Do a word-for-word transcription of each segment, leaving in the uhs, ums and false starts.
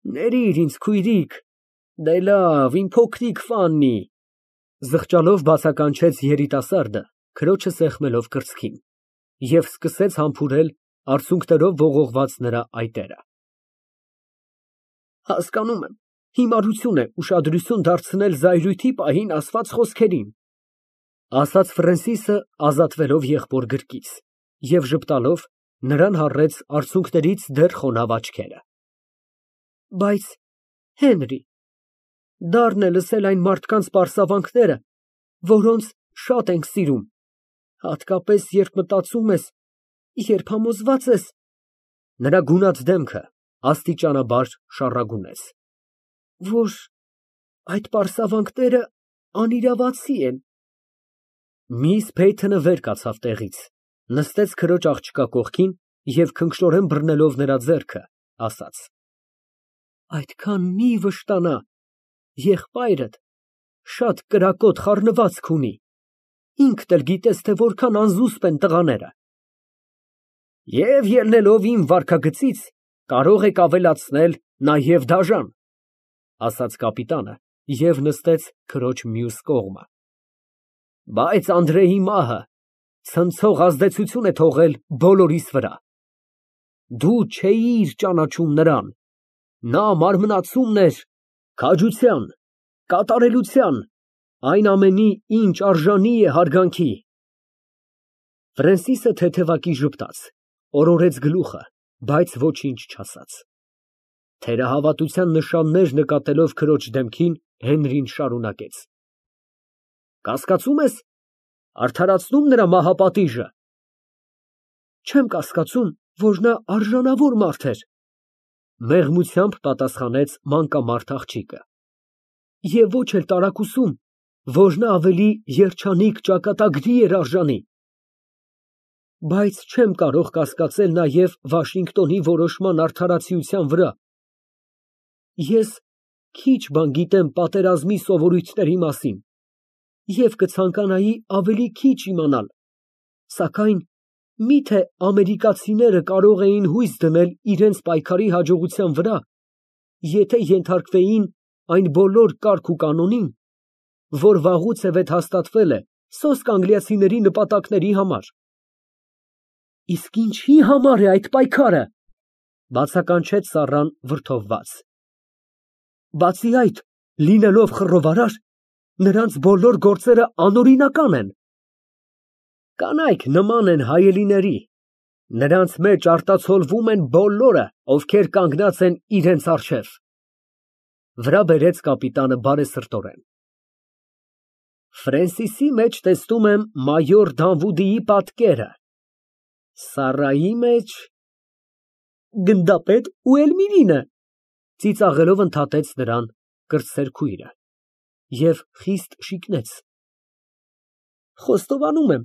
Ներիր ինձ, քույրիկ, դե լավ, իմ փոքրիկ Ֆաննի, զղջալով բացականչեց երիտասարդը, քրոջը սեղմելով կրծքին, և սկսեց համբուրել արցունքներով ողողված նրա այտերը։ Հասկանում եմ, հիմարություն է ուշադրություն դարձնել զայրույթի պահին ասված խոսքերին, ասաց Ֆրենսիսը, ազատվելով եղբոր գրկից, և ժպտալով նրան հառեց արցունքներից դեռ խոնավ աչքերը։ Բայց, Հենրի, դառն է լսել այն մարդկանց պարսավանքները, որոնց շատ ենք սիրում, հատկապես, երբ մտածում ես, երբ համոզված ես… Նրա գունատ դեմքը աստիճանաբար շառագունեց, որ այդ պարսավանքները անիրավացի են։ Միս Փեյթոնը վեր կացավ տեղից, նստեց քրոջ աղջկա կողքին և քնքշորեն բռնելով նրա ձեռքը, ասաց. Այդքան մի վշտանա, եղբայրդ շատ կրակոտ խառնվածք ունի, ինքդ էլ գիտես, թե որքան անզուսպ են տղաները։ Եվ ելնելով իմ վարքագծից, կարող եք ավելացնել նաև դաժան, ասաց կապիտանը և նստեց քրոջ մյուս կողմը։ Բայց Անդրեի մահը ցնցող ազդեցություն է թողել բոլորիս վրա։ Դու չէիր ճանաչում նրան, նա մարմնացումն էր քաջության, կատարելության, այն ամենի, ինչ արժանի է հարգանքի։ Ֆրենսիսը թեթևակի ժպտաց, օրորեց գլուխը, բայց ոչինչ չասաց։ Թերահավատության նշաններ նկատելով քրոջ դեմքին, Հենրին շարունակեց. Կասկածում ես, արդարացնո՞ւմ նրա մահապատիժը։ Չեմ կասկածում, որ նա արժանավոր մարդ էր, մեղմությամբ պատասխանեց մանկամարդ աղջիկը, և ոչ էլ տարակուսում, որ նա ավելի երջանիկ ճակատագրի էր արժանի։ Բայց չեմ կարող կասկածել նաև Վաշինգտոնի որոշման արդարացիության վրա։ Ես քիչ բան գիտեմ պատերազմի սովորույթների մասին և կցանկանայի ավելի քիչ իմանալ, սակայն մի՞թե ամերիկացիները կարող էին հույս դնել իրենց պայքարի հաջողության վրա, եթե ենթարկվեին այն բոլոր կարգ ու կանոնին, որ վաղուց է հաստատվել է սոսկ անգլիացիների նպատակների համար։ Իսկ ինչի համար է այդ պայքարը, բացականչեց Սառան վրդովված։ Բացի այդ, լինելով խռովարար, նրանց բոլոր գործերը անօրինական են։ Կանայք նման են հայելիների, նրանց մեջ արտացոլվում են բոլորը, ովքեր կանգնած են իրենց առջև, վրա բերեց կապիտանը բարեսրտորեն։ Ֆրենսիսի մեջ տեսնում եմ մայոր Դանվուդիի պատկերը, Սառայի մեջ… Գնդապետ Ուելմիրինը, ծիծաղելով ընդհատեց նրան կրտսեր քույրը և խիստ շիկնեց։ Խոստովանում եմ,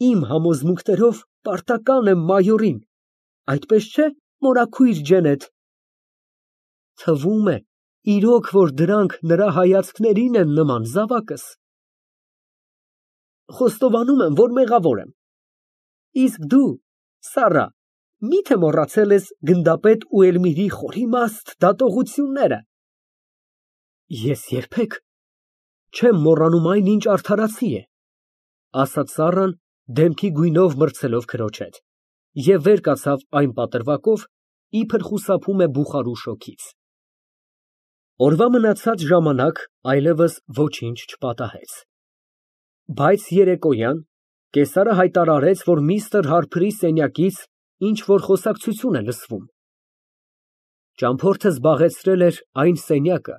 իմ համոզմունքներով պարտական եմ մայորին, այդպես չէ՞, մորաքույր Ջենեթ։ Թվում է, իրոք, որ դրանք նրա հայացքներին են նման, զավակս։ Խոստովանում եմ, որ մեղավոր եմ։ Իսկ դու, Սառա, մի՞թե մոռացել ես գնդապետ Ուելմիրի խորիմաստ դատողությունները։ Ես երբեք չեմ մոռանում այն, ինչ արդարացի է, ասաց Սառան, դեմքի գույնով մրցելով քրոջ հետ, և վեր կացավ այն պատրվակով, իբր խուսափում է բուխարու շոգից։ Օրվա մնացած ժամանակ այլևս ոչինչ չպատահեց։ Բայց երեկոյան կեսարը հայտարարեց, որ միստր Հարփրի սենյակից ինչ֊որ խոսակցություն է լսվում։ Ճամփորդը զբաղեցրել էր այն սենյակը,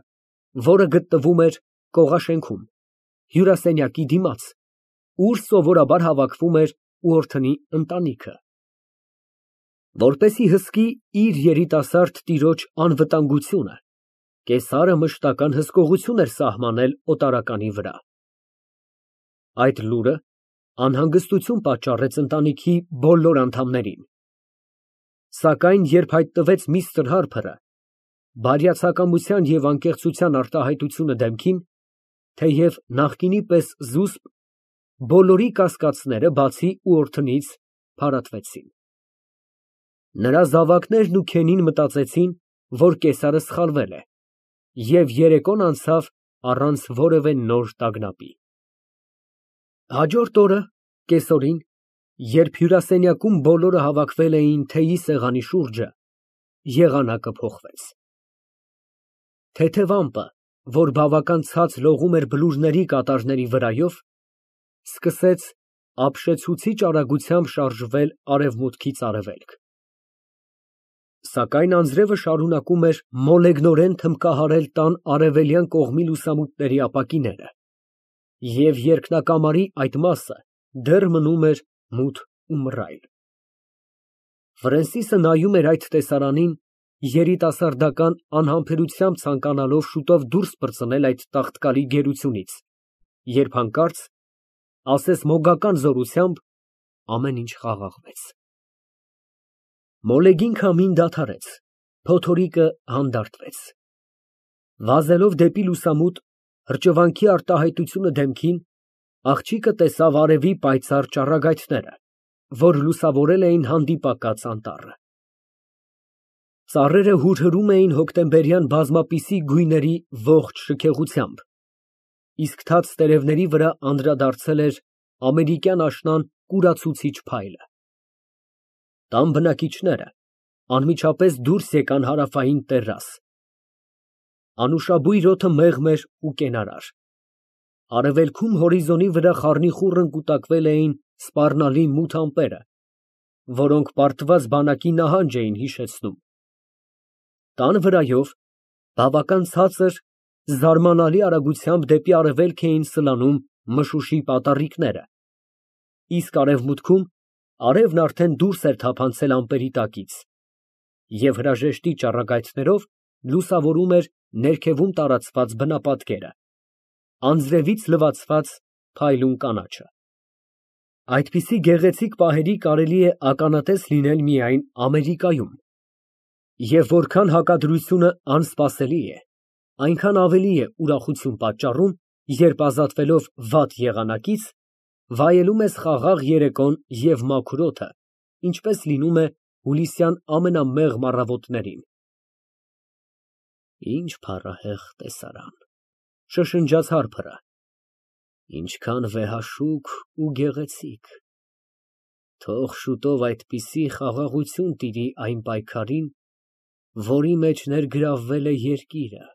որը գտնվում էր կողաշենքում, հյուրասենյակի դիմաց, ուր սովորաբար հավաքվում էր Ուորթնի ընտանիքը։ Որպեսզի հսկի իր երիտասարդ տիրոջ անվտանգությունը, կեսարը մշտական հսկողություն էր սահմանել օտարականի վրա։ Այդ լուրը անհանգստություն պատճառեց ընտանիքի բոլոր անդամներին։ Սակայն երբ հայտնվեց միստր Հարփրը, բարյացակամության և անկեղծության արտահայտությունը դեմքին, թեև նախկինի պես զուսպ, բոլորի կասկածները, բացի Ուորթնից, փարատվեցին։ Նրա զավակներն ու քենին մտածեցին, որ կեսարը սխալվել է, և երեկոն անցավ առանց որևէ նոր տագնապի։ Հաջորդ օրը կեսօրին, երբ հյուրասենյակում բոլորը հավաքվել էին թեյի սեղանի շուրջը, եղանակը փոխվեց։ Թեթև ամպը, որ բավական ցած լողում էր բլուրների կատարների վրայով, սկսեց ապշեցուցիչ արագությամբ շարժվել արևմուտքից արևելք։ Սակայն անձրևը շարունակում էր մոլեգնորեն թմբկահարել տան արևելյան կողմի լուսամուտների ապակիները, և երկնակամարի այդ մասը դեռ մնում էր մութ ու մռայլ։ Ֆրենսիսը նայում էր այդ տեսարանին, երիտասարդական անհամբերությամբ ցանկանալով շուտով դուրս պրծնել այդ տաղտկալի գերությունից, երբ հանկարծ, ասես մոգական զորությամբ, ամեն ինչ խաղաղվեց։ Մոլեգին քամին դադարեց, փոթորիկը հանդարտվեց։ Վազելով դեպի լուսամուտ, հրճվանքի արտահայտությունը դեմքին, աղջիկը տեսավ արևի պայծառ ճառագայթները, որ լուսավորել էին հանդիպակաց անտառը։ Ծառերը հուրհրում էին հոկտեմբերյան բազմապիսի գույների ողջ շքեղությամբ, իսկ թաց տերևների վրա անդրադարձել էր ամերիկյան աշնան կուրացուցիչ փայլը։ Տան բնակիչները անմիջապես դուրս եկան հարավային տեռաս։ Անուշաբույր օդը մեղմ էր ու կենարար։ Արևելքում հորիզոնի վրա խառնիխուռն կուտակվել էին սպառնալի մութ ամպերը, որոնք պարտված բանակի նահանջ էին հիշեցնում։ Տան վրայով, բավական ցածր, զարմանալի արագությամբ դեպի արևելք էին սլանում մշուշի պատառիկները, իսկ արևմուտքում արևն արդեն դուրս էր թափանցել ամպերի տակից, և հրաժեշտի ճառագայթներով լուսավորում էր ներքևում տարածված բնապատկերը, անձրևից լվացված փայլուն կանաչը։ Այդպիսի գեղեցիկ պահերի կարելի է ականատես լինել միայն Ամերիկայում, և որքան հակադրությունը անսպասելի է, այնքան ավելի է ուրախություն պատճառում, երբ ազատվելով վատ եղանակից, վայելում ես խաղաղ երեկոն և մաքուր օդը, ինչպես լինում է հուլիսյան ամենամեղմ առավոտներին։ Ինչ փառահեղ տեսարան, շշնջաց Հարփրը, ինչքան վեհաշուք ու գեղեցիկ։ Թող շուտով այդպիսի խաղաղություն տիրի այն պայքարին, որի մեջ ներգրավվել է երկիրը,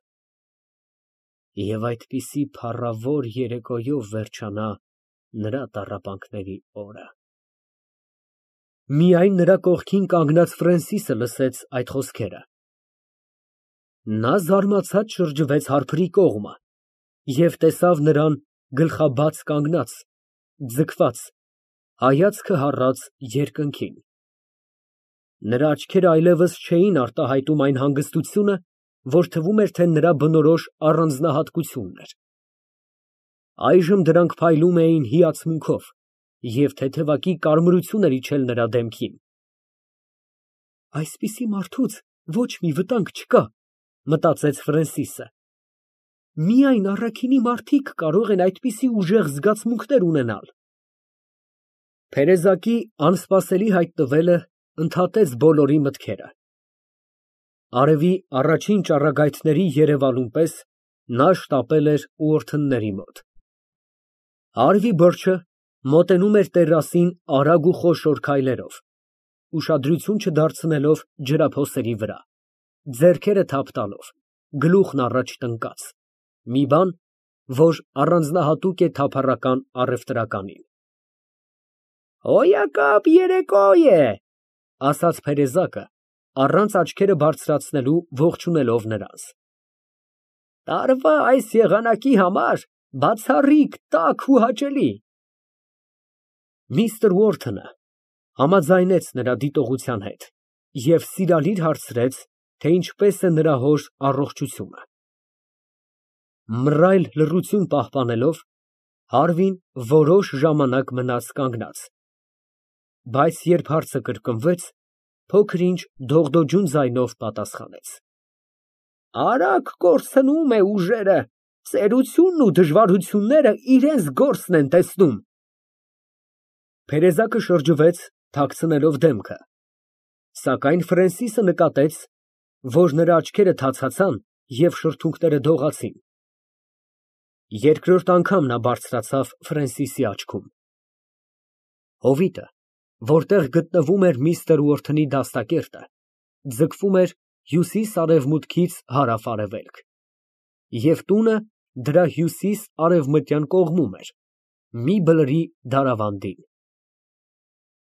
և այդպիսի փառավոր երեկոյով վերջանա նրա տառապանքների օրը։ Միայն նրա կողքին կանգնած Ֆրենսիսը լսեց այդ խոսքերը։ Նա զարմացած շրջվեց Հարփրի կողմը և տեսավ նրան գլխաբաց կանգնած, ձգված, հայացքը հառած երկնքին։ Նրա աչքերը այլևս չէին արտահայտում այն հանգստությունը, որ թվում էր, թե նրա բնորոշ առանձնահատկությունն էր։ Այժմ դրանք փայլում էին հիացմունքով, և թեթևակի կարմրություն էր իջել նրա դեմքին։ Այսպիսի մարդուց ոչ մի վտանգ չկա, մտածեց Ֆրենսիսը։ Միայն առաքինի մարդիկ կարող են այդպիսի ուժեղ զգացմունքներ ունենալ։ Փերեզակի անսպասելի հայտնվելը ընդհատեց բոլորի մտքերը։ Արևի առաջին ճառագայթների երևալուն պես նա շտապել էր ուղղորդների մոտ։ Արևի բրջը մոտենում էր տերասին արագ ու խոշոր քայլերով, ուշադրություն չդարձնելով ջրափոսերի վրա, ձեռքերը թափ տալով, գլուխն առաջ տնկած, մի բան, որ առանձնահատուկ է թափառական առևտրականին։ Հոյակապ երեկո է, ասաց Փերեզակը, առանց աչքերը բարձրացնելու ողջունելով նրանց։ Տարվա այս եղանակի համար բացառիկ տաք ու հաճելի։ Միսթր Ուորթոնը համաձայնեց նրա դիտողության հետ և սիրալիր հարցրեց, թե ինչպես է նրա հոր առողջությունը։ Մռայլ լռություն պահպանելով, Հարվին որոշ ժամանակ մնաց կանգնած, բայց երբ հարցը կրկնվեց, փոքր-ինչ դողդոջուն ձայնով պատասխանեց. Արագ կորցնում է ուժերը, ծերությունն ու դժվարությունները իրենց գործն են տեսնում։ Փերեզակը շրջվեց, թաքցնելով դեմքը, սակայն Ֆրենսիսը նկատեց, որ նրա աչքերը թացացան և շրթունքները դողացին։ Երկրորդ անգամ նա բարձրացավ Ֆրենսիսի աչքում։ Հովիտը, որտեղ գտնվում էր միստր Ուորթոնի դաստակերտը, ձգվում էր հյուսիս֊արևմուտքից հարավ֊արևելք, և տունը դրա հյուսիս֊արևմտյան կողմում էր, մի բլրի դարավանդին։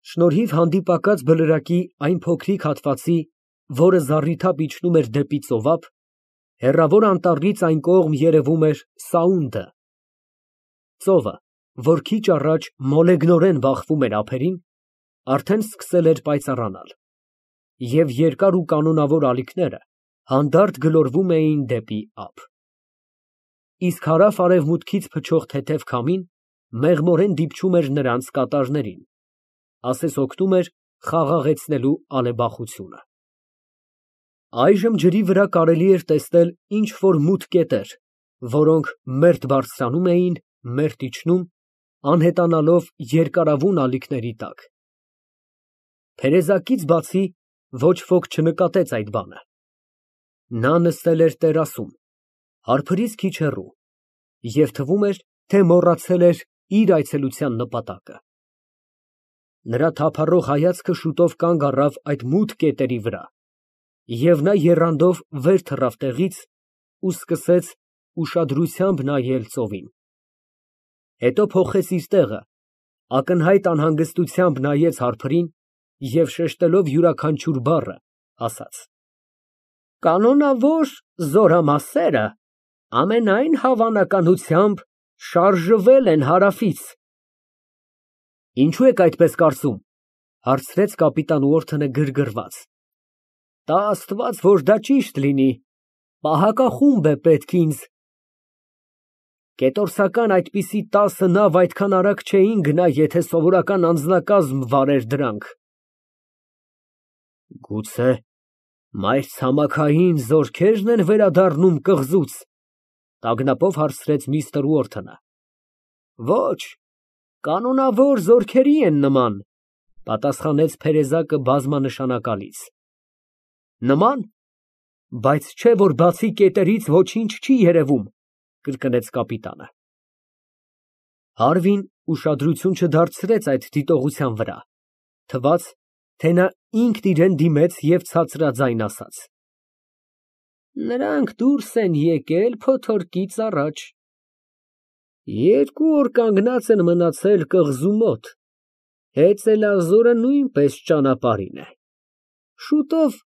Շնորհիվ հանդիպակաց բլրակի այն փոքրիկ հատվածի, որը զառիթափ իջնում էր դեպի ծովափ, հեռավոր անտառից այն կողմ երևում էր Սաունդը։ Ծովը, որ քիչ առաջ մոլեգնորեն բախվում էր ափերին, արդեն սկսել էր պայծառանալ, և երկար ու կանոնավոր ալիքները հանդարտ գլորվում էին դեպի ափ։ Իսկ հարավ֊արևմուտքից փչող թեթև քամին մեղմորեն դիպչում էր նրանց կատարներին, ասես օգնում էր խաղաղեցնելու ալեբախությունը։ Այժմ ջրի վրա կարելի էր տեսնել ինչ֊որ մութ կետեր, որոնք մերթ բարձրանում էին, մերթ իջնում, անհետանալով երկարավուն ալիքների տակ։ Փերեզակից բացի ոչ ոք չնկատեց այդ բանը։ Նա նստել էր տերասում, հարբից քիչ հեռու, և թվում էր, թե մոռացել էր իր այցելության նպատակը։ Նրա թափառող հայացքը շուտով կանգ առավ այդ մութ կետերի վրա, և նա եռանդով վեր թռավ տեղից ու սկսեց ուշադրությամբ նայել ծովին։ Հետո փոխեց իր տեղը, ակնհայտ անհանգստությամբ նայեց հարբին և շեշտելով յուրաքանչյուր բառը, ասաց. «Կանոնավոր զորամասերը ամենայն հավանականությամբ շարժվել են հարավից»։ ֊ Ինչո՞ւ եք այդպես կարծում, ֊ հարցրեց կապիտան Ուորթոնը գրգռված։ ֊ Տա Աստված, որ դա ճիշտ լինի, պահակախումբ է պետք ինձ։ Կետորսական այդպիսի տասը նավ այդքան արագ չէին գնա, եթե սովորական անձնակազմ վարեր դրանք։ ֊ Գուցե մայրցամաքային զորքե՞րն են վերադառնում կղզուց, ֊ տագնապով հարցրեց միստր Ուորթոնը։ ֊ Ոչ, կանոնավոր զորքերի են նման, ֊ պատասխանեց փերեզակը բազմանշանակալից։ ֊ Նման, բայց չէ՞ որ բացի կետերից ոչինչ չի երևում, ֊ կրկնեց կապիտանը։ Հարվին ուշադրություն չդարձրեց այդ դիտողության վրա, թվաց, թե նա ինքն իրան դիմեց և ցածրաձայն ասաց. Նրանք դուրս են եկել փոթորկից առաջ, երկու օր կանգնած են մնացել կղզու մոտ, հեծելազորը նույնպես ճանապարհին է, շուտով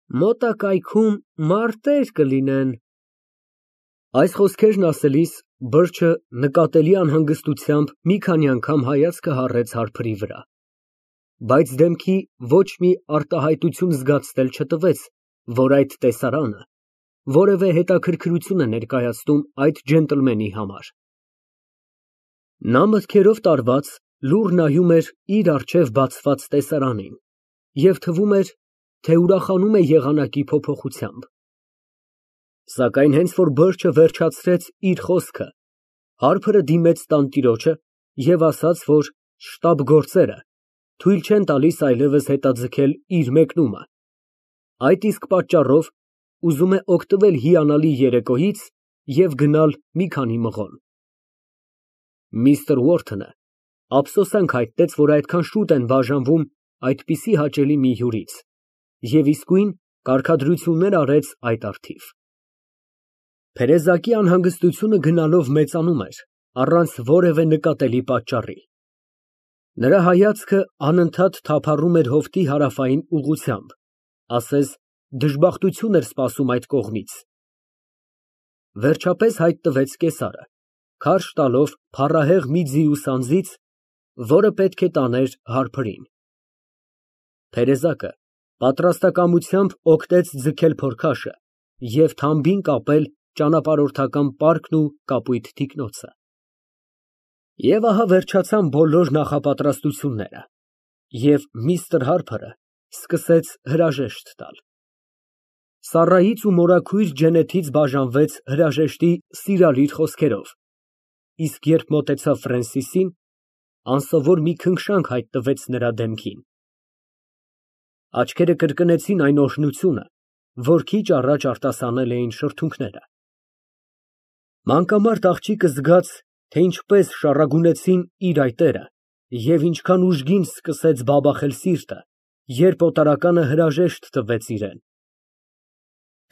մոտակայքում մարտեր կլինեն։ Այս խոսքերն ասելիս բրջը նկատելի անհանգստությամբ մի քանի անգամ հայացքը հառեց հարբի վրա, բայց դեմքի ոչ մի արտահայտություն զգացնել չտվեց, որ այդ տեսարանը որևէ հետաքրքրություն է ներկայացնում այդ ջենտլմենի համար։ Նա մտքերով տարված լուռ նայում էր իր առջև բացված տեսարանին և թվում էր, թե ուրախանում է եղանակի փոփոխությամբ։ Սակայն հենց որ բրջը վերջացրեց իր խոսքը, հարբը դիմեց տանտիրոջը և ասաց, որ շտապ գործերը թույլ չեն տալիս այլևս հետաձգել իր մեկնումը, այդ իսկ պատճառով ուզում է օգտվել հիանալի երեկոյից և գնալ մի քանի մղոն։ Միստր Ուորթոնը ափսոսանք հայտնեց, որ այդքան շուտ են բաժանվում այդպիսի հաճելի մի հյուրից, և իսկույն կարգադրություններ արեց այդ առթիվ։ Փերեզակի անհանգստությունը գնալով մեծանում էր, առանց որևէ նկատելի պատճառի։ Նրա հայացքը անընդհատ թափառում էր հովտի հարավային ուղղությամբ, ասես դժբախտություն էր սպասում այդ կողմից։ Վերջապես հայտնվեց կեսարը, քարշ տալով փառահեղ մի ձիուս անձից, որը պետք է տաներ հարբին։ Փերեզակը պատրաստակամությամբ օգնեց ձգել փորքաշը և թամբին կապել ճանապարհորդական պարկն ու կապույտ թիկնոցը։ Եվ ահա վերջացան բոլոր նախապատրաստությունները, և միստր Հարփրը սկսեց հրաժեշտ տալ։ Սառայից ու մորաքույր Ջենեթից բաժանվեց հրաժեշտի սիրալիր խոսքերով, իսկ երբ մոտեցավ Ֆրենսիսին, անսովոր մի քնքշանք հայտնվեց նրա դեմքին։ Աչքերը կրկնեցին այն օրհնությունը, որ քիչ առաջ արտասանել էին շրթունքները։ Մանկամարտ աղջիկը զգաց, թե ինչպես շառագունեցին իր այտերը և ինչքան ուժգին սկսեց բաբախել սիրտը, երբ օտարականը հրաժեշտ տվեց իրան։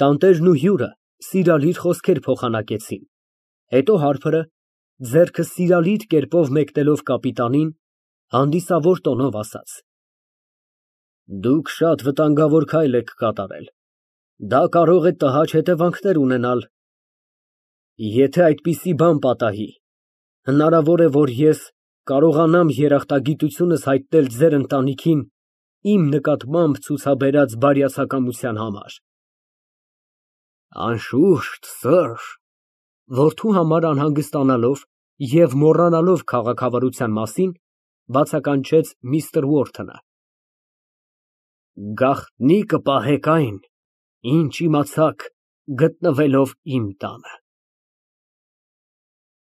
Տանտերն ու հյուրը սիրալիր խոսքեր փոխանակեցին, հետո հարբը, ձեռքը սիրալիր կերպով մեկնելով կապիտանին, հանդիսավոր տոնով ասաց. Դուք շատ վտանգավոր քայլ եք կատարել, դա կարող է տհաճ հետևանքներ ունենալ։ Եթե այդպիսի բան պատահի, հնարավոր է, որ ես կարողանամ երախտագիտությունս հայտնել ձեր ընտանիքին իմ նկատմամբ ցուցաբերած բարյացակամության համար։ Անշուշտ, սըր, որդու համար անհանգստանալով և մոռանալով քաղաքավարության մասին, բացականչեց միստր Ուորթոնը։ Գաղտնի կպահեք այն, ինչ իմացաք գտնվելով իմ տանը։